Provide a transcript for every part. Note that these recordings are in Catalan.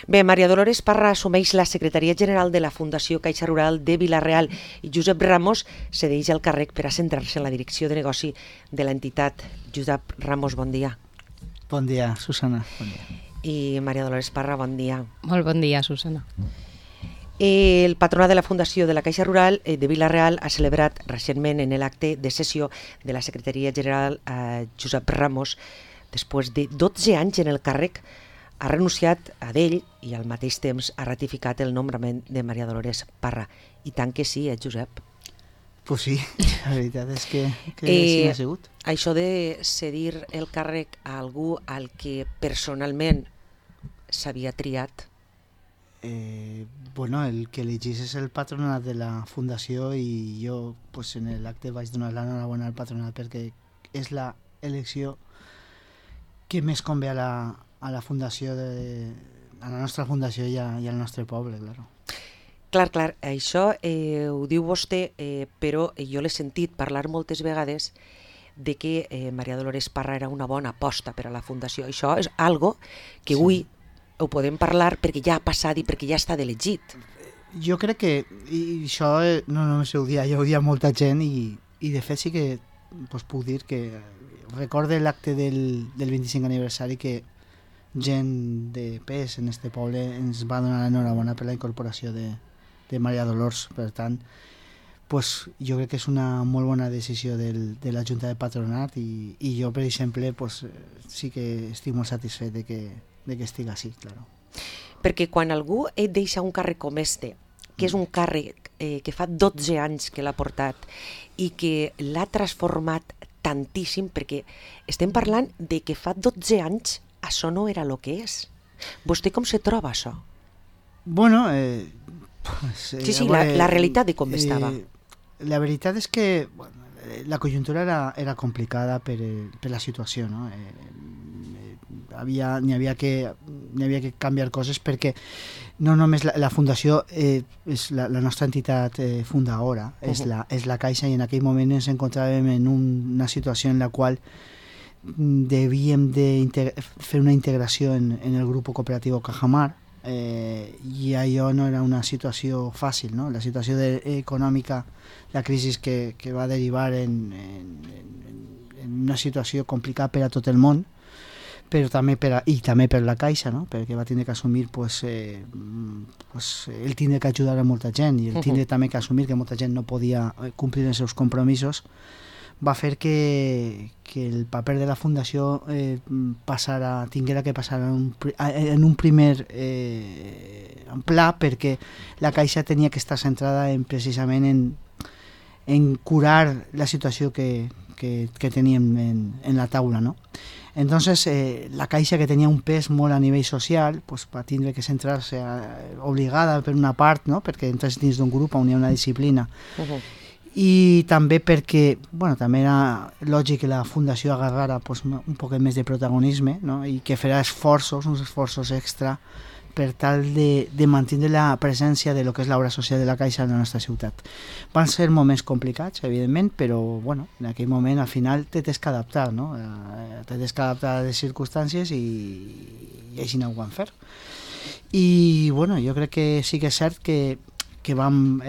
Bé, Maria Dolores Parra assumeix la secretaria general de la Fundació Caixa Rural de Vila-real i Josep Ramos cedeix el càrrec per a centrar-se en la direcció de negoci de l'entitat. Josep Ramos, bon dia. Bon dia, Susana. Bon dia. I Maria Dolores Parra, bon dia. Molt bon dia, Susana. El patronat de la Fundació de la Caixa Rural de Vila-real ha celebrat recentment en l'acte de sessió de la secretaria general Josep Ramos. Després de 12 anys en el càrrec, ha renunciat a d'ell i al mateix temps ha ratificat el nombrament de Maria Dolores Parra. I tant que sí, Josep? Pues sí, la veritat és que sí ha sigut. Això de cedir el càrrec a algú al que personalment s'havia triat? Bueno, el que elegís és el patronat de la Fundació i jo pues, en l'acte vaig donar l'enhorabona al patronat perquè és la elecció que més convé a la Fundació, a la nostra Fundació i al nostre poble, claro. Clar, això ho diu vostè, però jo l'he sentit parlar moltes vegades de que Maria Dolores Parra era una bona aposta per a la Fundació. Això és algo que avui ho podem parlar perquè ja ha passat i perquè ja està elegit. Jo crec que, i això no només ho dia, jo ho dia molta gent i de fet sí que pues, puc dir que recorde l'acte del 25 aniversari que gent de pes en este poble ens va donar l'enhorabona per la incorporació de Maria Dolors. Per tant, pues, jo crec que és una molt bona decisió de la Junta de Patronat i jo, per exemple, pues, sí que estic molt satisfet de que estigui així, claro. Perquè quan algú et deixa un càrrec com este, que és un càrrec que fa 12 anys que l'ha portat i que l'ha transformat tantíssim, perquè estem parlant de que fa 12 anys això no era el que és. Vostè com se troba això? Bueno, sí, la realitat de com estava. La veritat és que bueno, la conjuntura era complicada per la situació, no? N'hi havia que canviar coses perquè no només la Fundació és la nostra entitat fundadora, és la Caixa, i en aquell moment ens encontràvem en una situació en la qual devíem de fer una integració en el grup cooperatiu Cajamar i allò no era una situació fàcil, no? La situació econòmica, la crisi que va derivar en una situació complicada per a tot el món, però també per la Caixa, no? Perquè va tindre que assumir el tindre que ajudar a molta gent i el tindre també que assumir que molta gent no podia complir els seus compromisos, va fer que el paper de la Fundació tinguera que passar en un primer pla, perquè la Caixa tenia que estar centrada precisament en curar la situació que teníem en la taula, no? Entonces, la Caixa, que tenia un pes molt a nivell social, pues, va tindre que centrar-se obligada per una part, no? Perquè entres dins d'un grup on hi ha una disciplina. I també perquè també era lògic que la Fundació agarrara pues, un poc més de protagonisme, no? I que farà uns esforços extra per tal de mantenir la presència de lo que és l'obra social de la Caixa en la nostra ciutat. Van ser moments complicats, evidentment, però en aquell moment al final t'has que adaptar, no? T'has que adaptar a les circumstàncies i així no ho van fer. I jo crec que sí que és cert que vam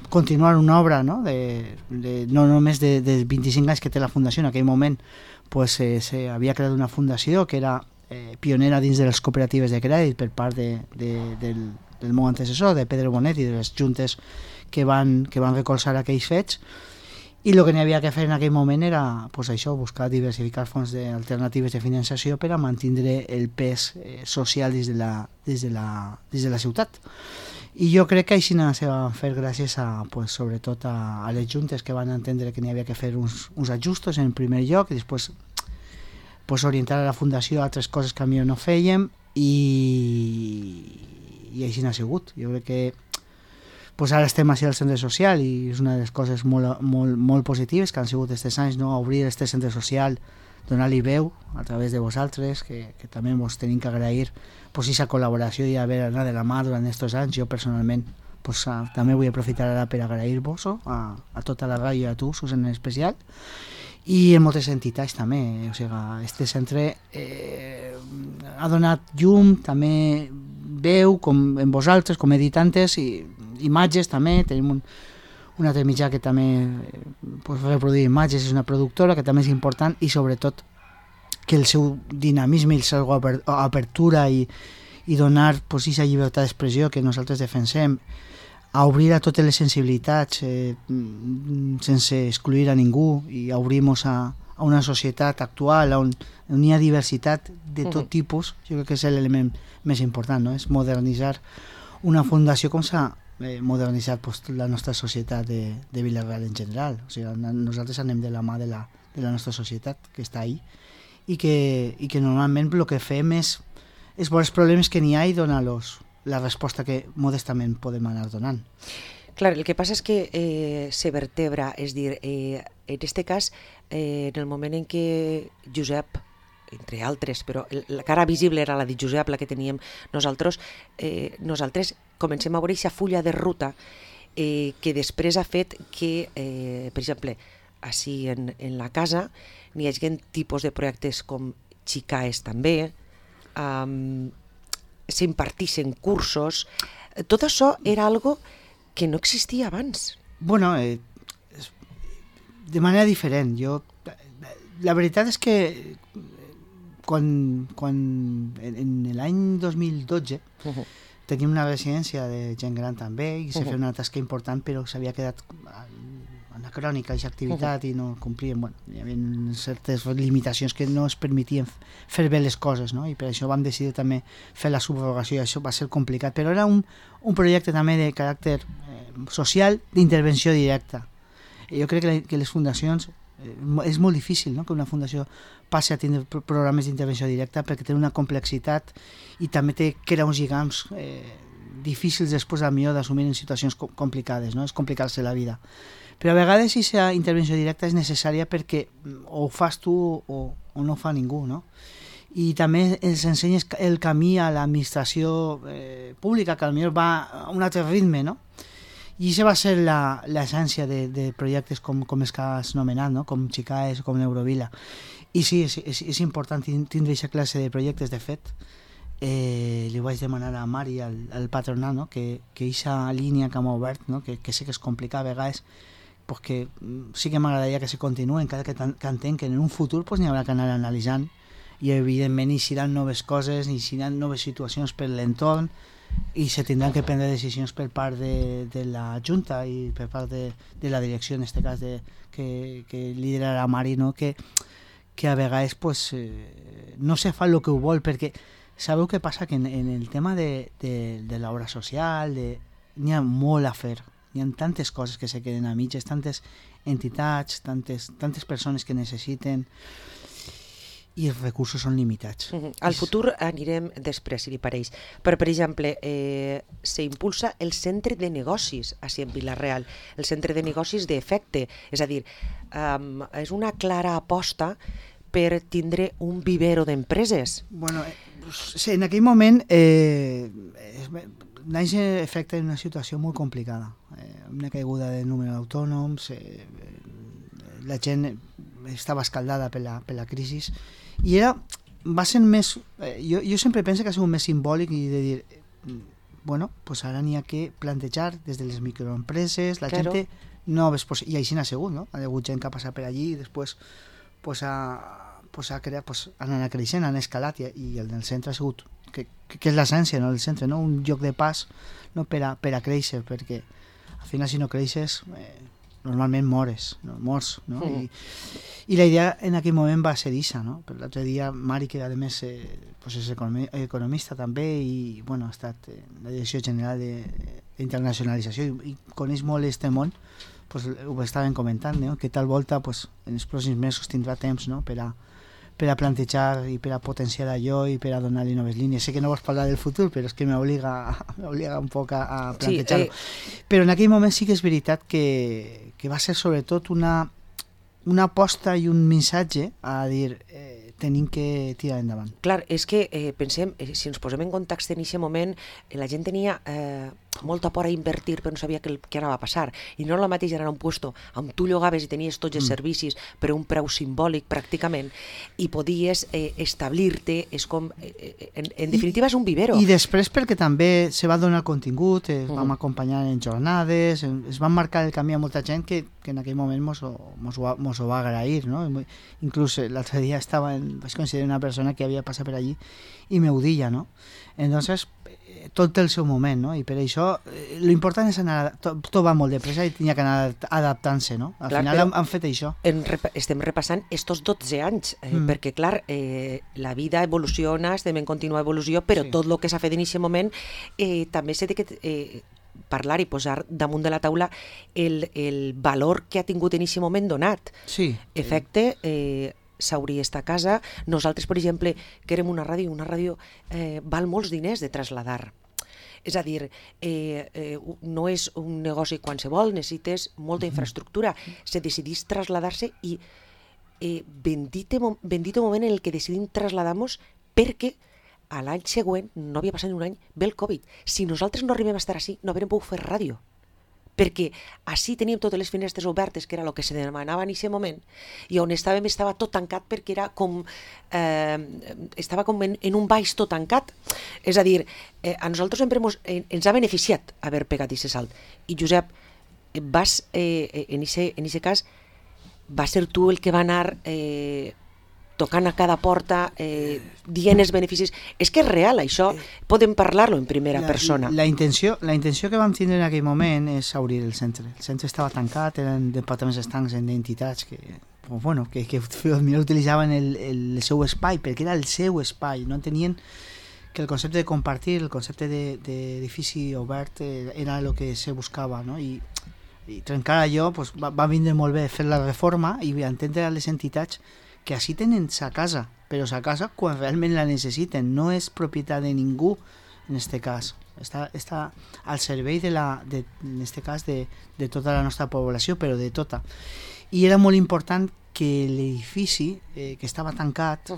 continuar una obra, no? No només de 25 anys que té la Fundació. En aquell moment s'havia creat una fundació que era pionera dins de les cooperatives de crèdit per part del meu antecessor, de Pedro Bonet, i de les juntes que van recolzar aquells fets, i el que n'hi havia que fer en aquell moment era buscar diversificar fonts alternatives de finançació per a mantenir el pes social dins de la ciutat. I jo crec que així se va fer gràcies sobretot a les juntes, que van entendre que n'hi havia que fer uns ajustos en primer lloc i després orientar a la Fundació a altres coses que a mi no fèiem i així n'ha sigut. Jo crec que ara estem així al centre social i és una de les coses molt positives que han sigut aquests anys, no? Obrir aquest centre social, donar-li veu a través de vosaltres, que també vos tenim que agrair aquesta col·laboració i haver anat de la mà durant aquests anys. Jo personalment també vull aprofitar ara per agrair-vos a tota la ràdio i a tu, Susan, en especial. i en moltes entitats també, o sigui, este centre ha donat llum, també veu, com en vosaltres, com editantes, i imatges també, tenim un altre mitjà que també reproduir imatges, és una productora que també és important, i sobretot que el seu dinamisme i la seva apertura i donar aquesta llibertat d'expressió que nosaltres defensem, a obrir a totes les sensibilitats sense excluir a ningú, i a obrir-nos a una societat actual on hi ha diversitat de tot tipus. Jo crec que és l'element més important, no? És modernitzar una fundació com s'ha modernitzat la nostra societat de Vila-real en general. O sigui, nosaltres anem de la mà de la nostra societat, que està ahí, i que normalment el que fem és veure els problemes que n'hi ha i donar-los la resposta que modestament podem anar donant. Clar, el que passa és que se vertebra, és dir, en aquest cas, en el moment en què Josep, entre altres, però la cara visible era la de Josep, la que teníem nosaltres comencem a veure aquesta fulla de ruta que després ha fet que, per exemple, així en la casa n'hi hagi tipus de projectes com Xicaes també, s'impartissin cursos. Tot això era algo que no existia abans. Bueno, de manera diferent. La veritat és que quan en l'any 2012 teníem una residència de gent gran també, i se feia una tasca important, però s'havia quedat anacrònica aquesta activitat i no complien, hi havia certes limitacions que no es permetien fer bé les coses, no? I per això vam decidir també fer la subrogació, i això va ser complicat, però era un projecte també de caràcter social, d'intervenció directa. Jo crec que les fundacions és molt difícil, no? Que una fundació passi a tindre programes d'intervenció directa, perquè té una complexitat i també crea uns lligams difícils després millor d'assumir en situacions complicades, no? És complicar-se la vida. Però a vegades aquesta intervenció directa és necessària perquè o ho fas tu o no ho fa ningú, no? I també ens ensenyes el camí a l'administració pública, que potser va a un altre ritme, no? I això va ser l'essència de projectes com els que has nomenat, no? Com Xicaes o com l'Eurovila. I sí, és important tindre aquesta classe de projectes. De fet, li vaig demanar a Mari, al patronat, no? Que aquesta línia que hem obert, no? Que sé que és complicat a vegades, pues que sí que m'agradaria que se continuï, encara que entenc que en un futur pues, n'hi haurà que anar analitzant, i evidentment hi seran noves coses, hi seran noves situacions per l'entorn, i se tindran que prendre decisions per part de la Junta i per part de la direcció, en aquest cas que liderarà Mari, no? Que a vegades pues, no se fa el que ho vol, perquè sabeu què passa? Que en el tema de l'obra social n'hi ha molt a fer. Hi ha tantes coses que se queden a mitges, tantes entitats, tantes persones que necessiten, i els recursos són limitats. Al futur anirem després, si li pareix. Però, per exemple, s'impulsa el centre de negocis així en Vila-real, el centre de negocis d'efecte. És a dir, és una clara aposta per tindre un vivero d'empreses. Bueno, sí, en aquell moment naix efecte en una situació molt complicada, una caiguda del número d'autònoms, la gent estava escaldada per la crisi, i va ser més, jo sempre penso que ha sigut més simbòlic i de dir, bueno, pues ara n'hi ha que plantejar des de les microempreses, la gent té noves possibilitats, i així n'ha sigut, no? Ha hagut gent que ha passat per allí i després pues, ha creat, pues, han anat creixent, han escalat, i el del centre ha sigut que és l'essència, no? El centre, no? Un lloc de pas, no? per a créixer, perquè al final si no creixes normalment mors, no? I la idea en aquell moment va ser això, no? Per l'altre dia Mari, que a més pues és economista també, i bueno, ha estat en la Direcció General d'Internacionalització i coneix molt este món, pues ho estaven comentant, no? Que tal volta pues, en els pròxims mesos tindrà temps, no? per a plantejar i per a potenciar allò i per a donar-li noves línies. Sé que no vols parlar del futur, però és que m'obliga un poc a plantejar-ho. Però en aquell moment sí que és veritat que va ser sobretot una aposta i un missatge a dir tenim que tirar endavant. Clar, és que pensem, si ens posem en context en aquest moment, la gent tenia molta por a invertir però no sabia què anava a passar, i no la mateixa era un puesto on tu llogaves i tenies tots els servicis per un preu simbòlic pràcticament, i podies establir-te, és com en definitiva és un vivero. I després perquè també se va donar contingut, vam acompanyar en jornades, es van marcar el camí a molta gent que en aquell moment mos ho va agrair, no? Inclús l'altre dia vaig considerar una persona que havia passat per allí i me ho deia, no? Entonces tot té el seu moment, no? I per això l'important és anar, tot va molt de pressa i tenia que anar adaptant-se, no? Al final han fet això. Estem repassant estos 12 anys, perquè clar, la vida evoluciona, estem en contínua evolució, però tot el que s'ha fet en aquest moment també s'ha de parlar i posar damunt de la taula el valor que ha tingut en aquest moment donat. Sí. Efecte, s'hauria estar a casa. Nosaltres, per exemple, que érem una ràdio val molts diners de traslladar. És a dir, no és un negoci qualsevol, necessites molta infraestructura. Se decidís traslladar-se i bendito moment en el que decidim traslladar-nos, perquè a l'any següent, no havia passat ni un any, ve el Covid. Si nosaltres no arribem a estar així, no haurem pogut fer ràdio. Perquè així teníem totes les finestres obertes, que era el que se demanava en aquest moment, i on estàvem estava tot tancat perquè era com estava com en un baix tot tancat. És a dir, a nosaltres sempre ens ha beneficiat haver pegat aquest salt. I Josep, vas en aquest cas va ser tu el que va anar tocant a cada porta, dient els beneficis. És que és real, això, podem parlar-lo en primera persona. La intenció que vam tindre en aquell moment és obrir el centre. El centre estava tancat, eren departaments estancs en entitats que utilitzaven el seu espai, perquè era el seu espai, no entenien que el concepte de compartir, el concepte d'edifici obert era el que se buscava, no? I trencar allò va vindre molt bé fer la reforma i entendre a les entitats que així tenen sa casa, però sa casa quan realment la necessiten, no és propietat de ningú en aquest cas, està al servei en aquest cas de tota la nostra població, però de tota. I era molt important que l'edifici que estava tancat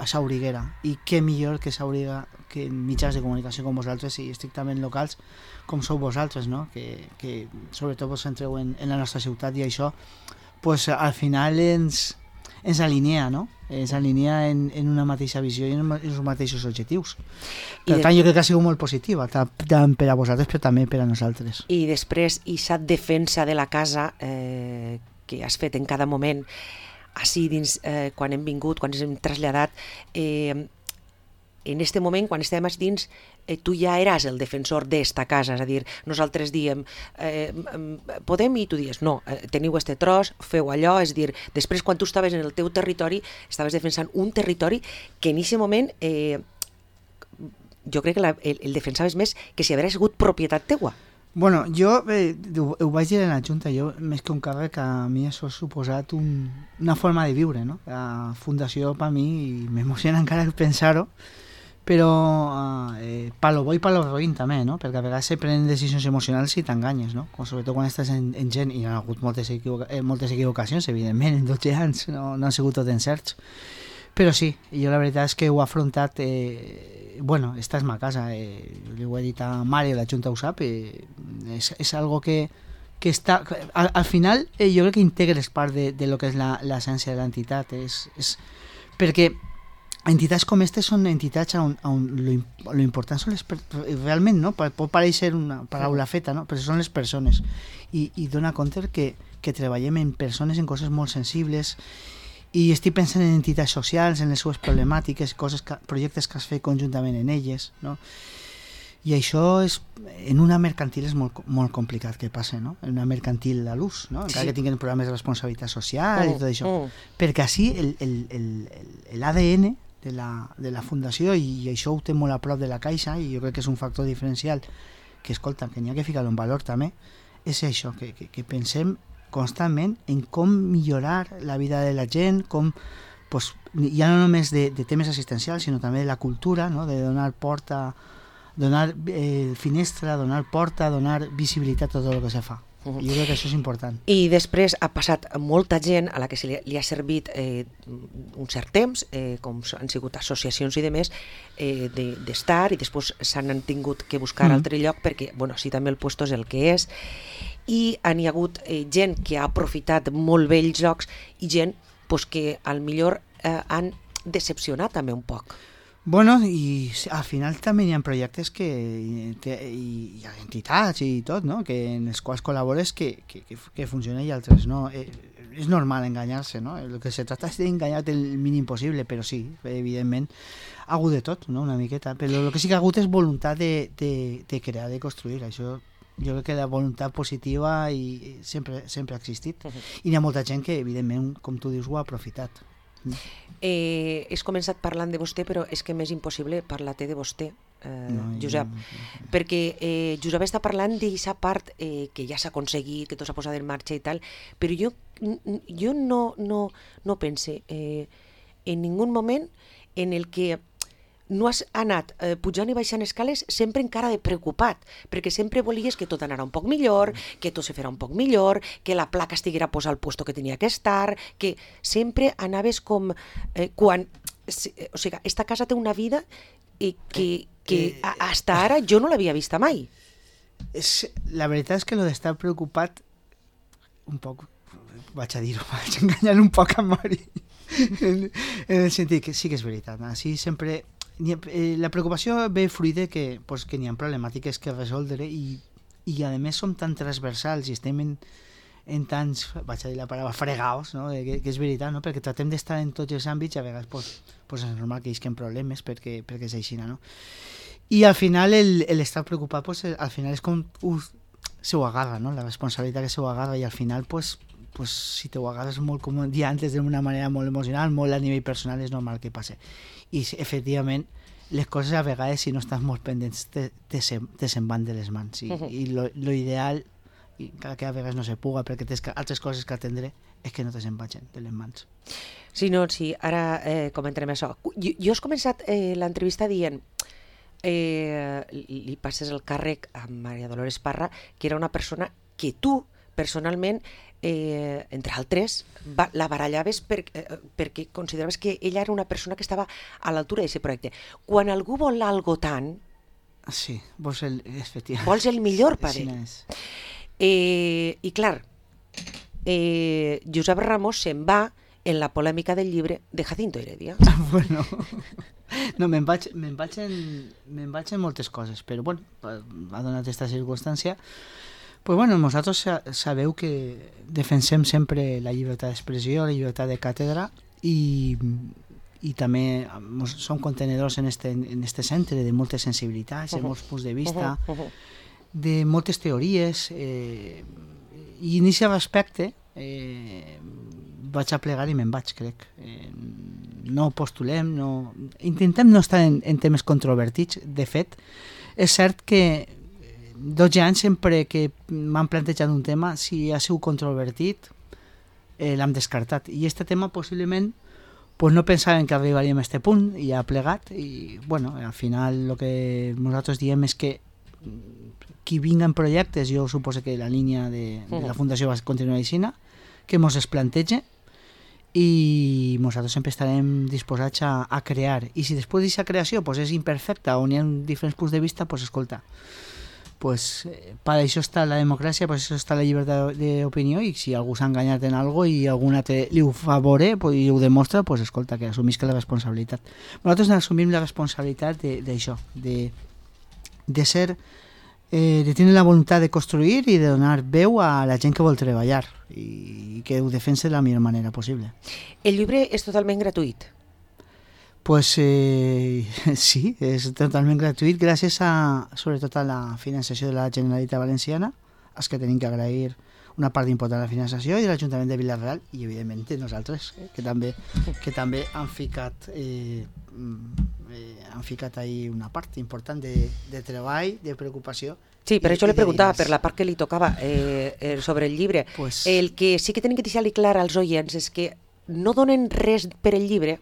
s'obriguera, i què millor que s'obriga que mitjans de comunicació com vosaltres i estrictament locals com sou vosaltres, no? que sobretot vos centreu en la nostra ciutat, i això al final ens alinea, no? Ens alinea en una mateixa visió i en els mateixos objectius. Per tant, jo crec que ha sigut molt positiva, tant per a vosaltres, però també per a nosaltres. I després, aquesta defensa de la casa que has fet en cada moment, així dins, quan hem vingut, quan ens hem traslladat, en aquest moment, quan estem dins, tu ja eres el defensor d'esta casa, és a dir, nosaltres diem podem, i tu dius no, teniu este tros, feu allò, és dir, després quan tu estaves en el teu territori estaves defensant un territori que en aquest moment jo crec que el defensaves més que si hagués sigut propietat teua. Bueno, jo ho vaig dir en la Junta, jo més que un càrrec, a mi això ha suposat una forma de viure, no? La fundació per mi, i m'emociona encara pensar-ho, però pa lo bo i pa lo roïn també, no? Perquè a vegades se prenen decisions emocionals i t'enganyes, no? Sobretot quan estàs en gent, i hi ha hagut moltes equivocacions, evidentment, en 12 anys no han sigut tot encerts, però sí, jo la veritat és que ho he afrontat, esta és ma casa, li ho he dit a Mario, la Junta ho sap, és algo que està, al final jo crec que integres part de lo que és l'essència de l'entitat, perquè entitats com aquestes són entitats on lo important són realment, no? Pot parèixer una paraula feta, no? Però són les persones, i dona compte que treballem en persones, en coses molt sensibles, i estic pensant en entitats socials, en les seves problemàtiques, projectes que has fet conjuntament en elles, no? I això en una mercantil és molt, molt complicat que passe, no? En una mercantil a l'ús, no? Encara que tinguin programes de responsabilitat social i tot això, perquè així l'ADN de la fundació, i això ho té molt a prop de la Caixa, i jo crec que és un factor diferencial que, escolta, que n'hi ha que ficar-lo en valor també, és això, que pensem constantment en com millorar la vida de la gent, com, ja no només de temes assistencials, sinó també de la cultura, no? De donar porta, donar finestra, donar porta, donar visibilitat a tot el que se fa. Jo crec que això és important. I després ha passat molta gent a la que li ha servit un cert temps, com han sigut associacions i demés, d'estar, i després s'han tingut que buscar altre lloc perquè, bueno, sí, també el puesto és el que és, i hi ha hagut gent que ha aprofitat molt bé els llocs i gent pues, que al millor han decepcionat també un poc. Bueno, i al final també hi ha projectes hi ha entitats i tot, no? En els quals col·labores que funcionen i altres no. És normal enganyar-se, no? El que se trata és d'enganyar el mínim possible, però sí, evidentment, ha hagut de tot, no? Una miqueta. Però el que sí que ha hagut és voluntat de crear, de construir. Això jo crec que la voluntat positiva sempre ha existit. I hi ha molta gent que, evidentment, com tu dius, ho ha aprofitat. Has començat parlant de vostè, però és que m'és impossible parlar-te de vostè, Josep, perquè Josep està parlant d'aquesta part que ja s'ha aconseguit, que tot s'ha posat en marxa i tal, però jo no pense en ningú moment en el que no has anat pujant i baixant escales sempre encara de preocupat, perquè sempre volies que tot anara un poc millor, que tot se farà un poc millor, que la placa estiguera posada al puesto que tenia que estar, que sempre anaves com... O sigui, esta casa té una vida que hasta ara jo no l'havia vista mai. La veritat és que lo d'estar preocupat un poc, vaig a dir-ho, vaig enganyar un poc a Mari, en el sentit que sí que és veritat, així sempre... La preocupació ve fruit de que n'hi ha problemàtiques que resoldre i a més som tan transversals i estem en tants, vaig a dir la paraula, fregaos, no? que és veritat, no? Perquè tratem d'estar en tots els àmbits i a vegades és normal que isquen problemes perquè és així, no? I al final l'estar preocupat al final és com se ho agarra, no? La responsabilitat que se ho agarra i al final si te ho agarres molt, com dia antes, d'una manera molt emocional, molt a nivell personal, és normal que passe. I efectivament les coses a vegades, si no estàs molt pendents, te se'n van de les mans i lo ideal, i encara que a vegades no se puga perquè tens altres coses que atendre, és que no te se'n vagin de les mans. Sí, ara comentarem això. Jo has començat l'entrevista dient li passes el càrrec a Maria Dolores Parra, que era una persona que tu personalment, entre altres, la barallaves perquè consideraves que ella era una persona que estava a l'altura d'aquest projecte. Quan algú vol algo tant, sí, vols el millor per ell. I clar, Josep Ramos se'n va en la polèmica del llibre de Jacinto Heredia. Bueno, no, me'n vaig en moltes coses, però bueno, ha donat aquesta circumstància. Pues bueno, nosaltres sabeu que defensem sempre la llibertat d'expressió, la llibertat de càtedra i també som contenedors en este centre de moltes sensibilitats, de molts punts de vista, de moltes teories i en aquest respecte vaig a plegar i me'n vaig, crec. No postulem, intentem no estar en temes controvertits. De fet, és cert que 12 anys sempre que m'han plantejat un tema, si ha sigut controvertit, l'hem descartat. I aquest tema possiblement no pensàvem que arribaríem a aquest punt i ha plegat i bueno, al final el que nosaltres diem és que qui vinga en projectes, jo suposo que la línia de la Fundació va continuar així, que mos es plantege i nosaltres sempre estarem disposats a crear. I si després d'aquesta creació és imperfecta o n'hi ha diferents punts de vista, escolta, per això està la democràcia, per això està la llibertat d'opinió i si algú s'ha enganyat en alguna cosa i algun altre li ho favore i ho demostra, escolta, que assumisca la responsabilitat. Nosaltres assumim la responsabilitat d'això, de ser, de tenir la voluntat de construir i de donar veu a la gent que vol treballar i que ho defensa de la millor manera possible. El llibre és totalment gratuït? Sí, és totalment gratuït gràcies sobretot a la finançació de la Generalitat Valenciana, als que tenim que agrair una part important de la finançació i de l'Ajuntament de Vila-real i evidentment de nosaltres, que també han ficat ahí una part important de treball, de preocupació. Sí, per això li preguntava, per la part que li tocava sobre el llibre. El que sí que tenim que deixar-li clar als oients és que no donen res per el llibre,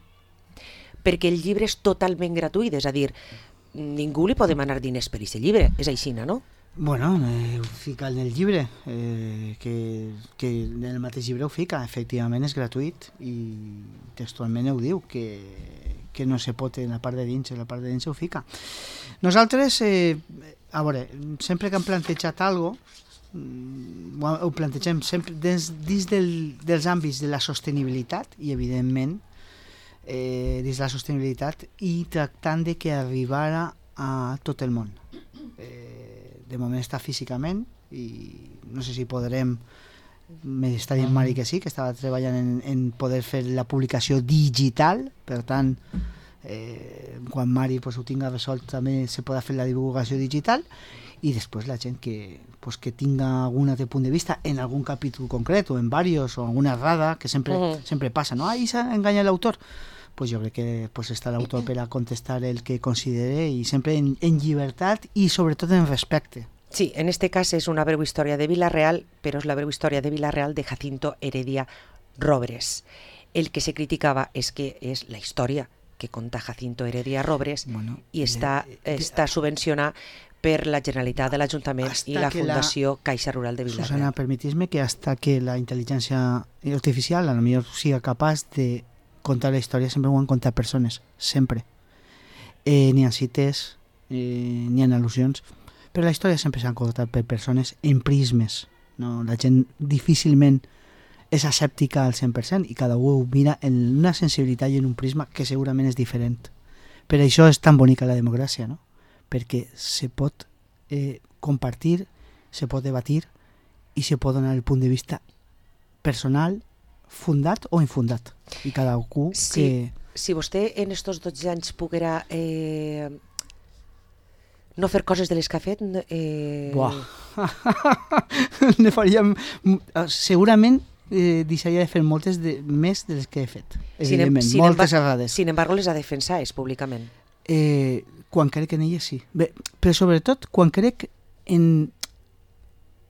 perquè el llibre és totalment gratuït, és a dir, ningú li pot demanar diners per aquest llibre, és així, no? Bueno, ho fica en el llibre, que en el mateix llibre ho fica, efectivament és gratuït i textualment ho diu, que no se pot en la part de dins ho fica. Nosaltres, a veure, sempre que hem plantejat alguna cosa, ho plantegem sempre dins dels àmbits de la sostenibilitat i evidentment dins la sostenibilitat i tractant de que arribara a tot el món. De moment està físicament i no sé si podrem, m'està dient Mari que sí, que estava treballant en poder fer la publicació digital, per tant quan Mari ho tinga resolt també se podrà fer la divulgació digital i després la gent que tinga algun altre punt de vista en algun capítol concret o en diversos o alguna errada que sempre passa, no? Ahí s'ha enganyat l'autor. Pues jo crec que està l'autor per a contestar el que considere i sempre en llibertat i sobretot en respecte. Sí, en este cas és una breu història de Vila-real, però és la breu història de Vila-real de Jacinto Heredia Robres. El que se criticava és que és la història que conta Jacinto Heredia Robres i està subvencionada per la Generalitat de l'Ajuntament i la Fundació Caixa Rural de Vila-real. Susana, permetis-me que hasta que la intel·ligència artificial a lo millor siga capaç de contar la història sempre ho han contat persones, sempre. Ni en cites, ni en al·lusions, però la història sempre s'han contat per persones en prismes. No? La gent difícilment és escèptica al 100% i cada un ho mira en una sensibilitat i en un prisma que segurament és diferent. Per això és tan bonica la democràcia, no? Perquè se pot compartir, se pot debatir i se pot donar el punt de vista personal, fundat o infundat i cada un que... Si vostè en estos 12 anys poguera no fer coses de les que ha fet... Buah! Ne faríem... Segurament deixaria de fer moltes més de les que he fet, evidentment, moltes errades. Sin embargo, les ha defensades públicament. Quan crec en elles, sí. Bé, però sobretot quan crec en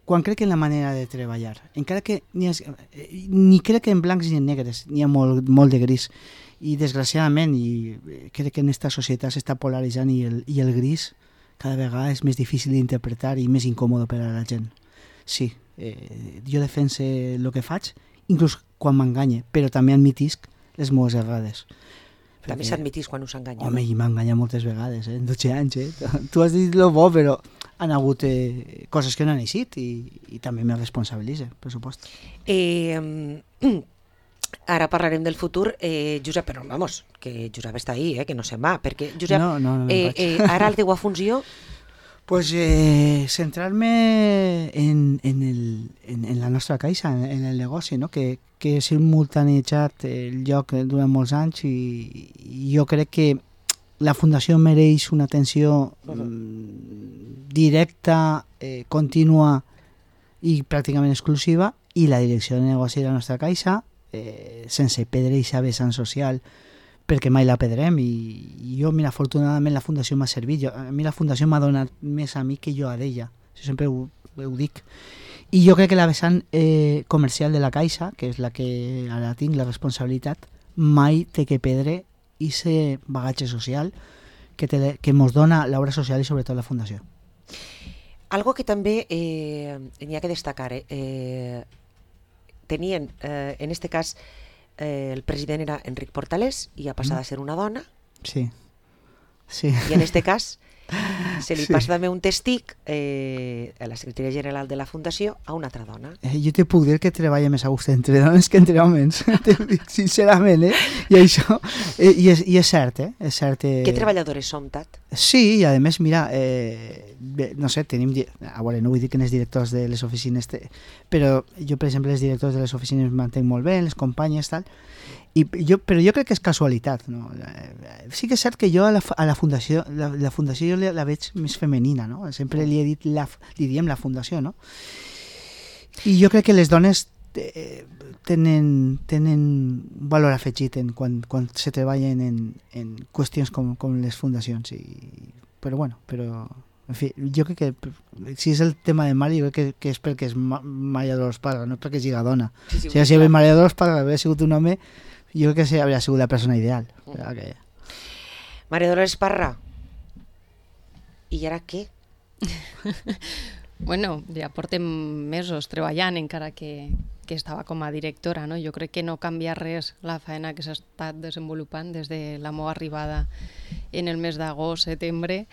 la manera de treballar, encara que ni crec en blancs ni en negres, n'hi ha molt de gris, i desgraciadament crec que en aquesta societat s'està polaritzant i el gris cada vegada és més difícil d'interpretar i més incòmode per a la gent. Sí, jo defense el que faig, inclús quan m'enganye, però també admitisc les meves errades. També s'admitís quan us enganya. Home, i m'ha enganyat moltes vegades, en 12 anys. Tu has dit lo bo, però han hagut coses que no han eixit i també me responsabilitza, per supost. Ara parlarem del futur, Josep, però vamos, que Josep està ahí, que no se'n va, perquè Josep, ara la teua funció... Pues centrar-me en la nostra caixa, en el negoci, no? que he simultanejat el lloc durant molts anys i jo crec que la Fundació mereix una atenció directa, contínua i pràcticament exclusiva, i la direcció de negoci de la nostra caixa, sense perdre aquesta vessant social, perquè mai la perdrem, i jo, mira, afortunadament la Fundació m'ha servit, a mi la Fundació m'ha donat més a mi que jo a d'ella, sempre ho dic, i jo crec que la vessant comercial de la Caixa, que és la que ara tinc la responsabilitat, mai té que perdre aquest bagatge social que mos dona l'obra social i sobretot la Fundació. Algo que també n'hi ha que destacar, tenien, en este cas, el president era Enric Portalés i ha passat a ser una dona. Sí. I en este cas se li passa també un testic a la secretària general de la Fundació a una altra dona. Jo te puc dir que treballa més a gust entre dones que entre homes, sincerament, I això, i és cert, És cert. Que treballadores som, Tat? Sí, i a més, mira, no sé, tenim... A veure, no vull dir que els directors de les oficines... Però jo, per exemple, els directors de les oficines m'entenc molt bé, les companyes, tal... Però jo crec que és casualitat, no? Sí que és cert que jo a la Fundació jo la veig més femenina, no? Sempre li he dit li diem la Fundació, no? I jo crec que les dones tenen valor afegit quan se treballen en qüestions com les fundacions, però bueno, en fi, jo crec que si és el tema de Mari, jo crec que és perquè és Maria Dolors Parra, no perquè sigui dona. Si Maria Dolors Parra havia sigut un home, jo crec que hauria sigut la persona ideal. Maria Dolors Parra, i ara què? Bueno, ja portem mesos treballant, encara que estava com a directora, no? Jo crec que no canvia res la feina que s'ha estat desenvolupant des de la meva arribada en el mes d'agost, setembre.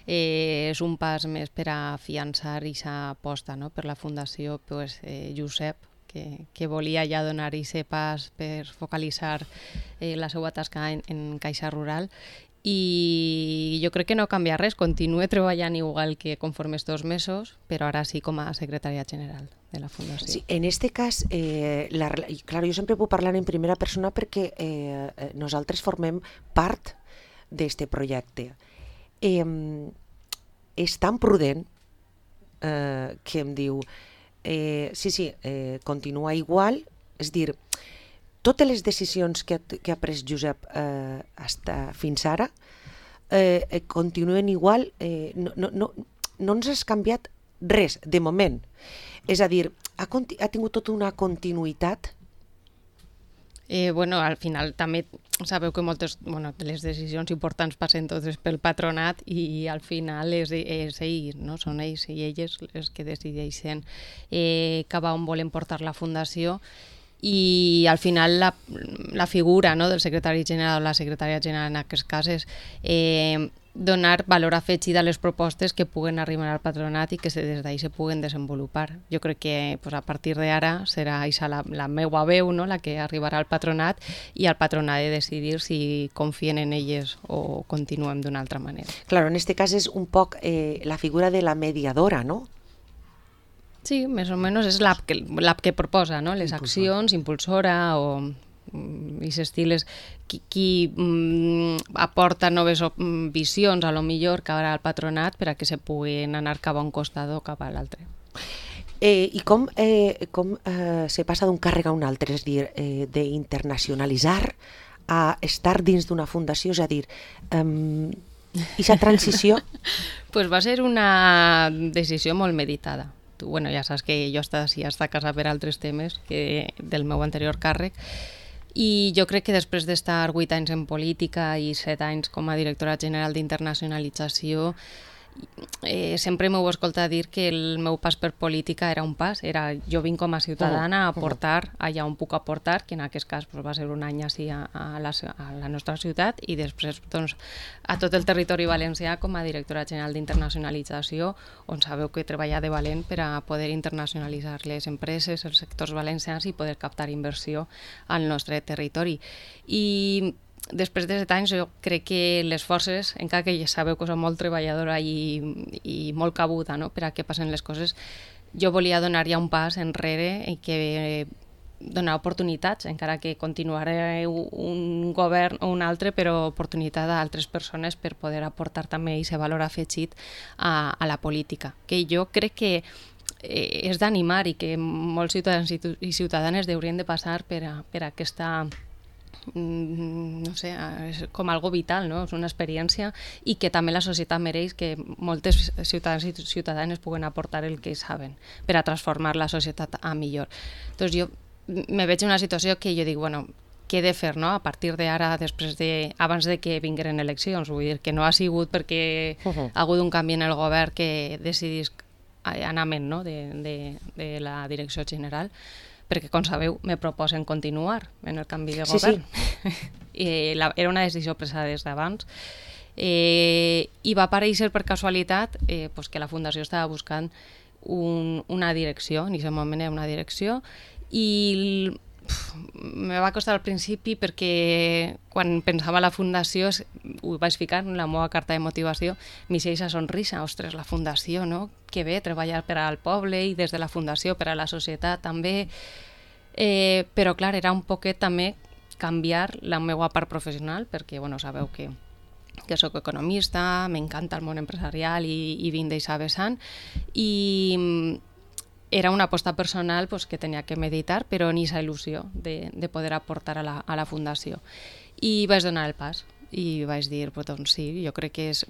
És un pas més per a afiançar aquesta aposta, no? Per la Fundació Josep, que volia ja donar aquest pas per focalitzar la seva tasca en Caixa Rural. I jo crec que no canvia res, continue treballant igual que conforme estos mesos, però ara sí com a secretària general de la Fundació. Sí, en este cas, clar, jo sempre puc parlar en primera persona perquè nosaltres formem part d'este projecte. És tan prudent que em diu sí, continua igual, és dir, totes les decisions que ha pres Josep fins ara continuen igual, no ens has canviat res, de moment. És a dir, ha tingut tota una continuïtat. Al final també sabeu que les decisions importants passen totes pel patronat i al final és ells, no? Són ells i elles els que decideixen cap a on volen portar la Fundació. I al final la figura, no, del secretari general o la secretària general en aquest cas és donar valor afegit a les propostes que puguen arribar al patronat i que des d'ahí se puguen desenvolupar. Jo crec que a partir d'ara serà la meua veu, no, la que arribarà al patronat i el patronat de decidir si confien en elles o continuem d'una altra manera. Claro, en este cas és un poc la figura de la mediadora, no? Sí, més o menys és l'app que proposa, no? Les accions, impulsora o aquest estil és qui aporta noves visions a lo millor cap al patronat per a que se puguin anar cap a un costat o cap a l'altre. I com se passa d'un càrrec a un altre, és a dir, d'internacionalitzar a estar dins d'una fundació, és a dir, aquesta transició? Pues va ser una decisió molt meditada. Ja saps que jo està casada per altres temes que del meu anterior càrrec i jo crec que després d'estar 8 anys en política i 7 anys com a directora general d'internacionalització sempre m'heu escoltat dir que el meu pas per política era un pas, jo vinc com a ciutadana a aportar allà on puc aportar, que en aquest cas va ser un any així a la nostra ciutat i després a tot el territori valencià com a directora general d'internacionalització, on sabeu que he treballat de valent per a poder internacionalitzar les empreses, els sectors valencians i poder captar inversió al nostre territori. I després de 7 anys jo crec que les forces, encara que ja sabeu que soc molt treballadora i molt cabuda, no?, per a què passen les coses, jo volia donar ja un pas enrere i que donar oportunitats, encara que continuaré un govern o un altre, però oportunitat a altres persones per poder aportar també aquest valor afegit a la política, que jo crec que és d'animar i que molts ciutadans i ciutadanes haurien de passar per aquesta no sé, és com algo vital, no? És una experiència i que també la societat mereix que moltes ciutadans i ciutadanes puguen aportar el que saben per a transformar la societat a millor. Doncs jo me veig en una situació que jo dic, què he de fer, no? A partir d'ara, abans de que vingueren eleccions, vull dir que no ha sigut perquè ha hagut un canvi en el govern que decidís anament, no?, de la direcció general, perquè, com sabeu, me proposen continuar en el canvi de govern. Sí. Era una decisió presa des d'abans i va aparèixer per casualitat que la Fundació estava buscant una direcció, en aquest moment era una direcció, i me va costar al principi perquè quan pensava la Fundació, ho vaig ficar en la meva carta de motivació, m'hi aquesta sonrisa, ostres, la Fundació, no? Que bé, treballar per al poble i des de la Fundació per a la societat també, però clar, era un poquet també canviar la meva part professional, perquè sabeu que soc economista, m'encanta el món empresarial i vinc d'eixa vessant, i era una aposta personal que tenia que meditar, però ni aquesta il·lusió de poder aportar a la Fundació. I vaig donar el pas i vaig dir, doncs sí, jo crec que és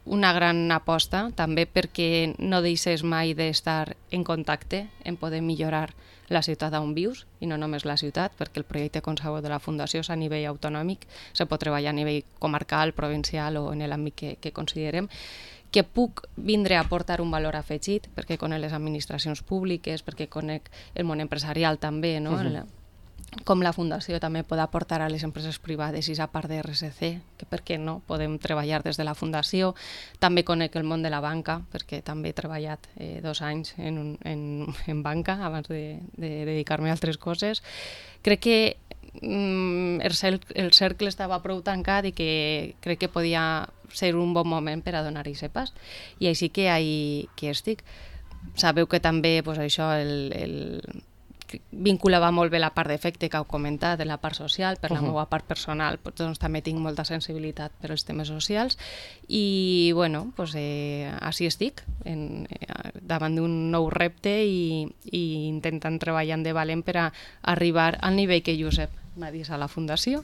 una gran aposta, també perquè no deixes mai d'estar en contacte, en poder millorar la ciutat on vius, i no només la ciutat, perquè el projecte, com sabeu, de la Fundació és a nivell autonòmic, se pot treballar a nivell comarcal, provincial o en l'àmbit que considerem, que puc vindre a aportar un valor afegit, perquè conec les administracions públiques, perquè conec el món empresarial també, no? Com la Fundació també pot aportar a les empreses privades i a part de RSC, que per què no, podem treballar des de la Fundació. També conec el món de la banca, perquè també he treballat 2 anys en banca abans de dedicar-me a altres coses. Crec que el cercle estava prou tancat i que crec que podia ser un bon moment per a donar-hi pas. I així que estic. Sabeu que també això, vinculava molt bé la part d'efecte que heu comentat, de la part social, per la meva part personal, doncs també tinc molta sensibilitat per als temes socials i, bueno, així estic, davant d'un nou repte i intentant treballar de valent per a arribar al nivell que Josep m'ha dit a la Fundació.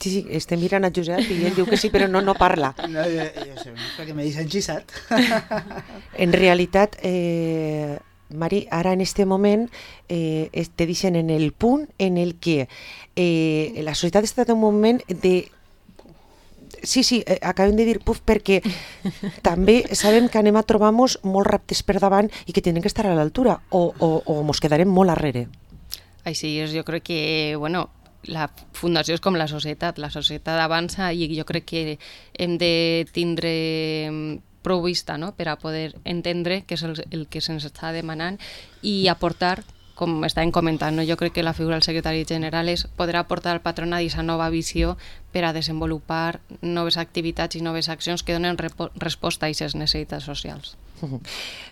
Sí, estem mirant a Josep i ell diu que sí, però no parla. No, jo sé, perquè m'he enxissat. En realitat, Mari, ara en este moment te deixen en el punt en el que la societat està en un moment de... Sí, acabem de dir puf perquè també sabem que anem a trobar-nos molts reptes per davant i que tenen que estar a l'altura o mos quedarem molt arrere. Així és, jo crec que, bueno, la Fundació és com la societat avança i jo crec que hem de tindre prou vista, no?, per a poder entendre què és el que se'ns està demanant i aportar, com estàvem comentant, no? Jo crec que la figura del secretari general podrà aportar al patronat aquesta nova visió per a desenvolupar noves activitats i noves accions que donen resposta a aquestes necessitats socials.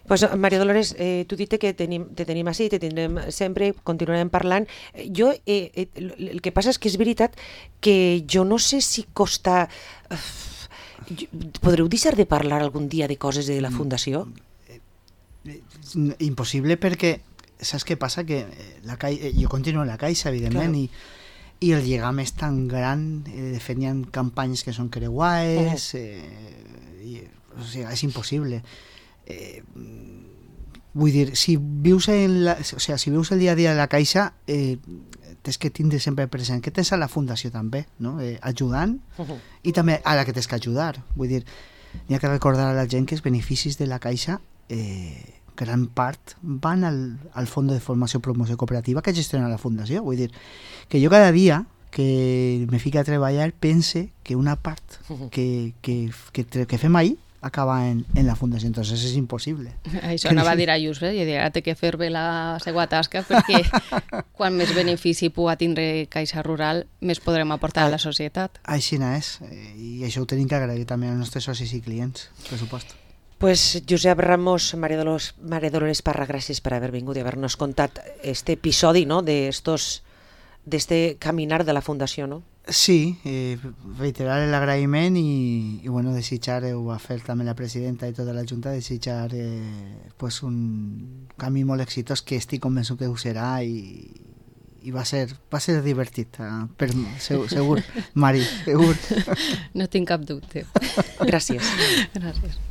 Pues, Maria Dolores, tu dite que te tenim així, te tindrem sempre, continuarem parlant. Jo, el que passa és que és veritat que jo no sé si costa... Podreu deixar de parlar algun dia de coses de la Fundació? Impossible perquè saps què passa? Que jo continuo a la Caixa, evidentment, i el lligam és tan gran, de fet hi ha campanyes que són creuades, o sigui, és impossible. Vull dir, si vius el dia a dia de la Caixa, tens que tindre sempre present que tens a la Fundació també, no? Ajudant, i també a la que tens que ajudar. Vull dir, n'hi ha que recordar a la gent que els beneficis de la Caixa gran part van al Fons de Formació i Promoció Cooperativa que gestiona la Fundació. Vull dir, que jo cada dia que me fico a treballar pense que una part que fem ahir acaba en la Fundació, entonces és impossible. Això anava a dir a Josep, i ara té que fer bé la seva tasca, perquè quan més benefici pugui tindre Caixa Rural, més podrem aportar a la societat. Així és, i això ho tenim que agrair també als nostres socis i clients, per supost. Pues Josep Ramos, Maria Dolores Parra, gràcies per haver vingut i haver-nos contat este episodi, no?, d'este caminar de la Fundació, no? Sí, reiterar l'agraïment i bueno, desitjar, ho va fer també la presidenta i tota la Junta, desitjar pues un camí molt exitós que estic convençut que ho serà i va ser divertit, segur, Mari, segur. No tinc cap dubte. Gràcies. Gràcies.